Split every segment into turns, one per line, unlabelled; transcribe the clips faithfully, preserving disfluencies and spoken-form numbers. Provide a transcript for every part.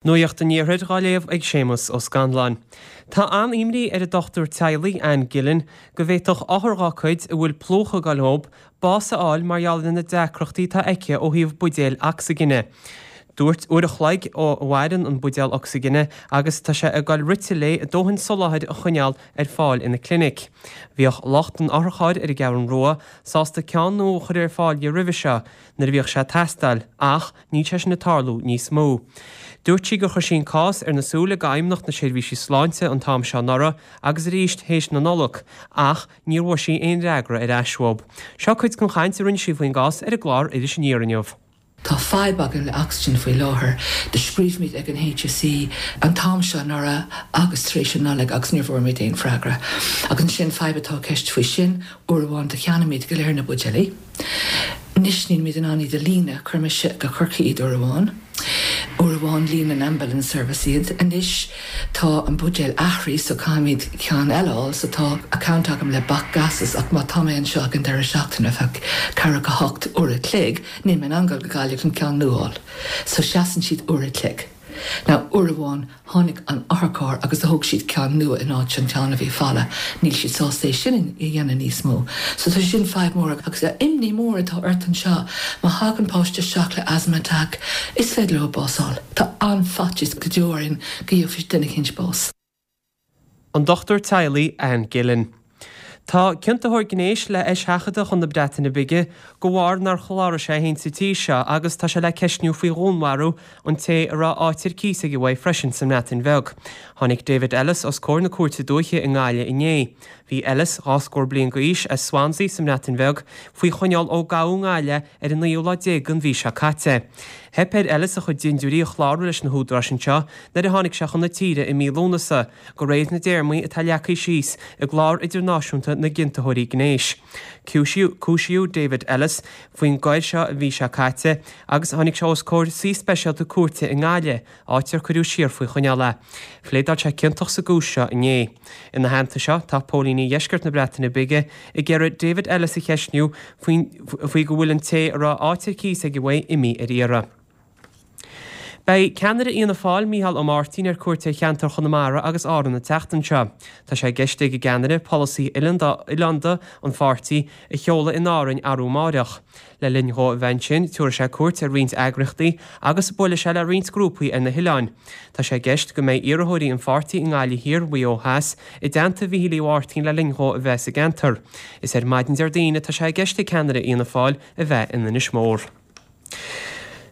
Nuacht an Iarthair á léamh ag Séamus Ó Scanláin. Tá an-imní ar an dochtúir teaghlaigh Anne Gillen go bhféadfadh othair dá cuid a bhfuil plúchadh ag goil dhób bás a fháil mar gheall ar na deacrachtaí atá aici ó thaobh buidéil ocsaigine. Dúirt uair a chloig a mhaireann an buidéal ocsaigine agus tá sé ag goil rite léi a dóthain soláthair a choinneáil ar fáil ina clinic. Bhíodh lucht an otharchairr ar an gCeathrú Rua sásta ceann nua a chur ar fáil di roimhe seo nuair a bhíodh sé ag teastáil ach níl sé sin ag tarlú níos mó. Dúirt sí gur chuir sí an cás ar na súile d'Fheidhmeannacht na Seirbhísí Sláinte an t-am seo anuraidh agus arís théis na Nollag ach níor bhfuair sí aon fhreagra ar ais uathu. Seo cuid den chaint a rinne sí faoin gcás ar an gclár Iris Aniar inniu.
Tá fadhb againn le oxygen faoi láthair do scríobh muid ag an HSE an t-am seo anuraidh agus tar éis an Nollaig agus níor bhfuair muid aon freagra. Agus ansin fadhb atá ceist faoi sin uair amháin do cheannaigh muid go léir na buidéilí. Anois níl muid in ann iad a líonadh chuir mise go Corcaigh iad uair amháin. Uair amháin líon an ambulance service iad. Anois tá an buidéal athraithe so caithfimid ceann eile a fháil so tá account agam le BAC Gases ach má tá mé anseo ag an deireadh seachtaine feadh ceathracha a hocht uair a chloig, níl mé in ann dul go Gaillimh an ceann nua a fháil. So seasann siad uair a chloig. Now uair amháin tháinig an otharcharr agus thóg siad ceann nua in áit an ceann a bhí folamh, níl siad sásta é sin a dhéanamh níos mó. So tá sin fadhb mór agus imní mór atá ort anseo má thagann páiste isteach le asthma attack, is féidir leo bás a fháil. Tá an-fhaitíos go deo orainn go gheobhaidh duine éicint bás.
An dochtúir teaghlaigh Anne Gillen. Tá ciontaitheoir gnéis le eiseachadadh chun na Breataine Bige de bharr nár chláraigh sé féin sa tír seo agus tá sé le ceistniú faoi dhúnmharú an té a raibh áit ar cíos aige uaidh freisin sa mBreatain Bheag. Tháinig David Ellis os comhair na cúirte dúiche i nGaillimh inné. Bhí Ellis dhá scór bliain d'aois as Swansea sa mBreatain Bheag faoi choinneáil ó gabhadh i nGaillimh ar an naoú lá déag den mhí seo caite. Theip ar Ellis a chuid dindiúirí a chlárú leis na húdaráis anseo nuair a tháinig sé chun na tíre i mí Lúnasa, de réir na dtéarmaí atá leagtha síos i gclár idirnáisiúnta na gciontaitheoirí gnéis. Cúisíodh David Ellis faoin gcoir seo an mhí seo caite agus tháinig sé os comhair suí speisialta cúirte i nGaillimh, áit ar cuireadh siar faoi choinneáil é. Phléadáil sé ciontach sa gcúis seo inné. Ina theannta seo, tá póilíní dheisceart na Breataine Bige ag iarraidh David Ellis a cheistniú faoi go bhfuil an té a raibh áit ar cíos aige uaidh imithe ar iarraidh. Beidh ceannaire Fhianna Fáil Micheál Ó Máirtín ar cuairt ar cheantar Chonamara agus Árann an tseachtain seo. Tá sé i gceist ag an gceannaire polasaí oileánda an pháirtí a sheoladh in Árainn arú amárach. Le linn dhó a bheith ansin, tabharfaidh sé cuairt ar roinnt eagraíochtaí agus buailfidh sé le roinnt grúpaí ar na hoileáin. Tá sé i gceist go mbeidh iarrthóirí an pháirtí i nGaillimh Thiar, Mhaigh Eo Theas i dteannta Mhichíl Uí Mháirtín le linn dhó a bheith sa gceantar. Is ar maidin Déardaoin atá sé i gceist ag ceannaire Fhianna Fáil a bheith in Inis Mór.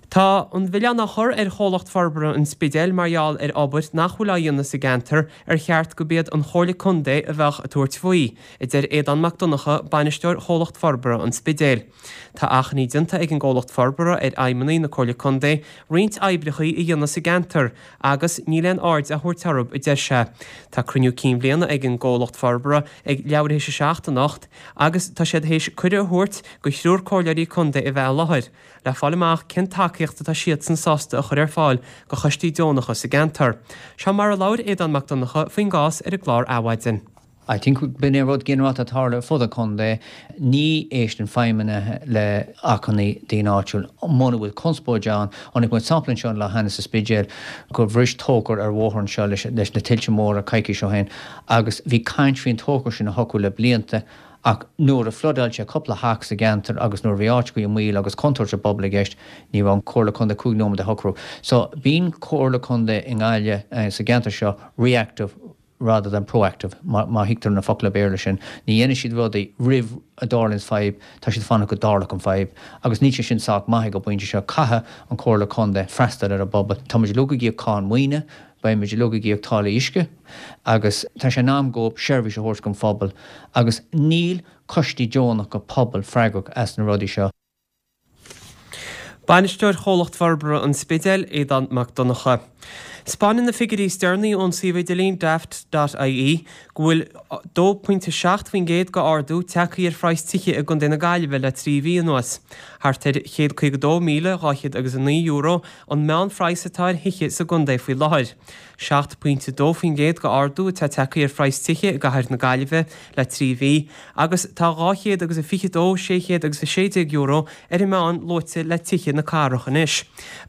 Tá an milleán á chur ar Chomhlacht Forbartha an Spidéil mar gheall ar obair nach bhfuil á dhéanamh sa gceantar ar cheart gurb iad an Chomhairle Contae a bheadh ag tabhairt faoi, a deir Aodán Mac Donncha, bainisteoir Chomhlacht Forbartha an Spidéil. Tá achainí déanta ag an gComhlacht Forbartha ar fheidhmeannaigh na Comhairle Contae roinnt oibreacha a dhéanamh sa gceantar agus níl aon aird á thabhairt orthu, a deir sé. Tá cruinniú cinn bhliana ag an gComhlacht Forbartha ag leathuair théis a seacht anocht agus tá siad théis cuireadh a thabhairt do thriúr comhairleoirí contae a bheith i láthair. Le fáil amach cén tacaíocht atá siadsan sásta a chur ar fáil do choistí deonacha sa gceantar. Seo mar a labhair Aodán Mac Donncha faoin gcás ar an gclár Adhmhaidin.
I think b'in é rud ginearálta atá ag tarlú ar fud an chontae, ní éisteann feidhmeannaigh le achainí daoine áitiúil muna bhfuil conspóid ann. Chonaic muid sampla anseo an lá cheana sa Spidéal gur bhris tóchar ar bhóthar anseo leis leis na tuilte móra coicís ó shin agus bhí caint faoin tóchar sin a shocrú le blianta ach nuair a floodáil sé cúpla theach sa gceantar agus nuair a bhí áiteachaí i mbaol agus contúirt don bpobal i gceist, ní raibh an Comhairle Contae cúig nóiméad a shocrú. So bíonn Comhairle Contae i nGaillimh sa gceantar seo reactive rather than proactive, má má thuigtear na focla Béarla sin. Ní dhéanann siad rudaí roimh a dtarlaíonn fadhb, tá siad fanacht go dtarlóidh an fadhb. Agus níl sé sin sách maith ag an bpointe seo. Caithfidh an Comhairle Contae freastal ar an bpobal. Tá muid uilig ag íoc cáin maoine, beidh muid uilig ag íoc táillí uisce agus tá sé in am dóibh seirbhís a thabhairt don phobal agus níl coistí deonacha pobail freagrach as na rudaí seo.
Bainisteoir Chomhlacht Forbartha an Spidéil, Aodán Mac Donncha. Spáineann na figiúirí is deireanaí ón suíomh idirlín daft.ie go bhfuil dó pointe seacht faoin gcéad de ardú tagtha ar phraghas tithe i gContae na Gaillimhe le trí mhí anuas. Thart ar chéad caoga dó míle dhá chéad agus a naoi euro an meánphraghas atá ar thithe sa gcontae faoi láthair. Seacht pointe dó faoin gcéad de ardú atá tagtha ar phraghas tithe i gcathair na Gaillimhe le trí mhí agus tá dhá chéad agus a fiche dó sé chéad agus a sé déag euro ar an meán luaite le tithe na cathrach anois.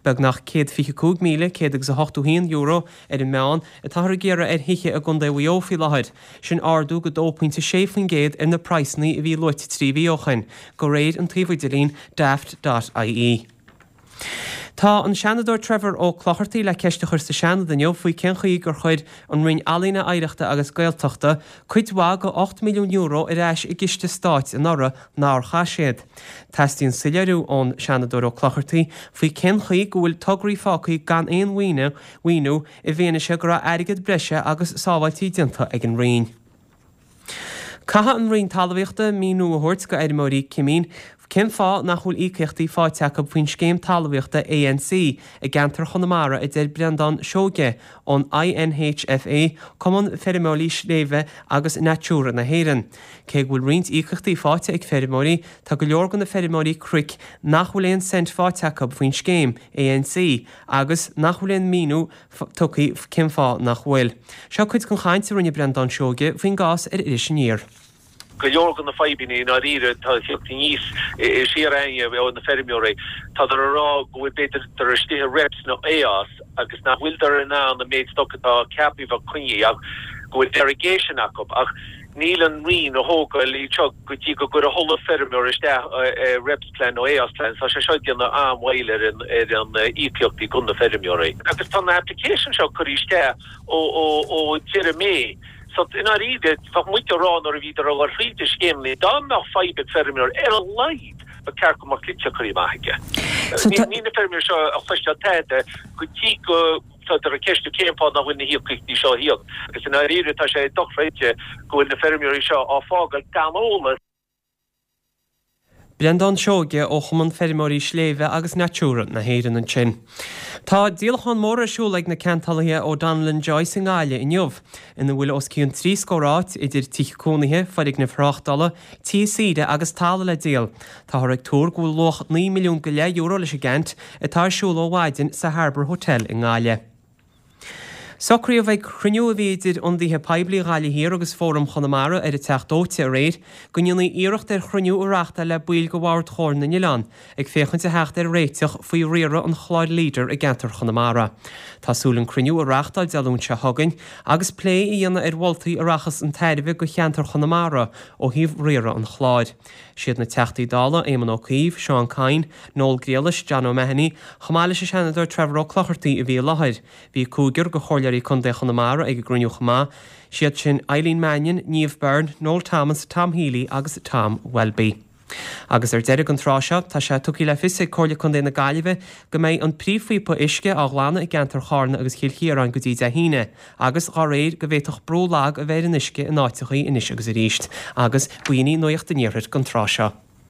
Beagnach céad fiche cúig míle céad agus a hochtó haon euro ar an meán atáthar ag iarraidh ar thithe i gContae Mhaigh Eo faoi láthair, sin ardú de dó pointe sé faoin gcéad ar na praghsanna a bhí luaite trí mhí ó shin, de réir an tsuímh idirlín daft.ie. Tá an Seanadóir Trevor Ó Clochartaigh le ceist a chur sa Seanad inniu faoi cén chaoi gur chuir an Roinn Ealaíne, Oidhreachta agus Gaeltachta cuid mhaith de ocht milliún euro ar ais i gciste stáit anuraidh nár chaith siad. Teastaíonn soiléiriú ón Seanadóir Ó Clochartaigh faoi cén chaoi go bhfuil tograí fágtha gan aon mhaoiniú i bhfianaise go raibh airgead breise agus sábháiltí déanta ag an Roinn. Caithfidh an Roinn Talmhaíochta míniú a thabhairt go fheirmeoirí cimín cén fáth nach bhfuil íocaíochtaí faighte acu faoin scéim talmhaíochta ANC i gceantar Chonamara a deir Breandán Seoige ón INHFA, Cumann Feirmeoirí Sléibhe agus Natura na hÉireann. Cé go bhfuil roinnt íocaíochtaí faighte ag feirmeoirí, tá go leor de na feirmeoirí cnoic nach bhfuil aon cent faighte acu faoin scéim ANC agus nach bhfuil aon míniú tugtha cén fáth nach bhfuil. Seo cuid den chaint a rinne Breandán Seoige faoin gcás ar Iris Aniar.
Go leor de na fadhbanna i ndáiríre atá ag teacht aníos siar againne ó na feirmeoirí, tádar a rá go bhfuil b'fhéidir dar istigh i REPS nó AOS agus nach bhfuiltear in ann an méid stoc atá ceaptha a bheith coinnithe ach go bhfuil derogation acu ach níl an Roinn a thógáil iad seo go dtí go gcuirfidh chuile feirmeoir isteach REPS plan nó AOS plan. Tá sé seo ag déanamh an-mhoill ar an ar an íocaíochtaí go na feirmeoirí. Agus tá na application seo curtha isteach ó ó ó deireadh May. So, i ndáiríre, bheadh muid ag rá nuair a bhíodar ag dul thríd na scéimeanna, dá mbeadh fadhb ag feirmeoir, ar a laghad, ba cheart go mbeadh litir curtha amach aige. Níl na feirmeoirí seo ag cloisteáil tada go dtí go dtádar ag ceistiú cén fáth nach bhfuil na híocaíochtaí seo á híoc. Agus i ndáiríre, tá sé dochreidte go bhfuil na feirmeoirí seo á fágáil gan eolas.
Breandán Seoige ó Chumann Feirmeoirí Sléibhe agus Natura na hÉireann ansin. Tá díolachán mór ar siúl ag na ceantálaithe O'Donnell and Joyce i nGaillimh inniu, ina bhfuil os cionn trí scór áit idir tithe cónaithe, foirgnimh thráchtála, tithe saoire agus talamh le díol. Táthar ag tuar go bhfuil luach naoi milliún go leith euro leis an gceant atá ar siúl ó mhaidin sa Harbour Hotel i nGaillimh. Socraíodh ag cruinniú a bhí idir ionadaithe poiblí Ghaillimh Thiar agus Fóram Chonamara ar an Teach Dóite aréir go ndéanfaí iarracht ar chruinniú a reáchtáil le baill de Bhord Chomhairle na nOileán ag féachaint a theacht ar réiteach faoi riaradh an chláir Leader i gceantar Chonamara. Tá súil an cruinniú a reáchtáil Dé Luain seo chugainn agus plé a dhéanamh ar mholtaí a rachas chun tairbhe do cheantar Chonamara ó thaobh riaradh an chláir. Siad na Teachtaí Dála Éamon Ó Cuív, Seán Kyne, Noel Grealish, John O'Mahony, chomh maith leis an Seanadóir Trevor Ó Clochartaigh a bhí i láthair. Bhí cúigear de chomhairleoirí Contae Chonamara ag an gcruinniú chomh maith, siad sin Eileen Mannion, Niamh Byrne, Noel Thomas, Tom Healy agus Tom Welby. Agus ar deireadh an tráth seo, tá sé tugtha le fios ag Comhairle Contae na Gaillimhe go mbeidh an príomhphíopa uisce á ghlanadh i gceantar Charna agus Chill Chiaráin go dtí Dé hAoine, agus dá réir go bhféadfadh brú lag a bheith ar an uisce in áiteachaí anois agus arís. Agus b'in í Nuacht an Iarthair don tráth seo.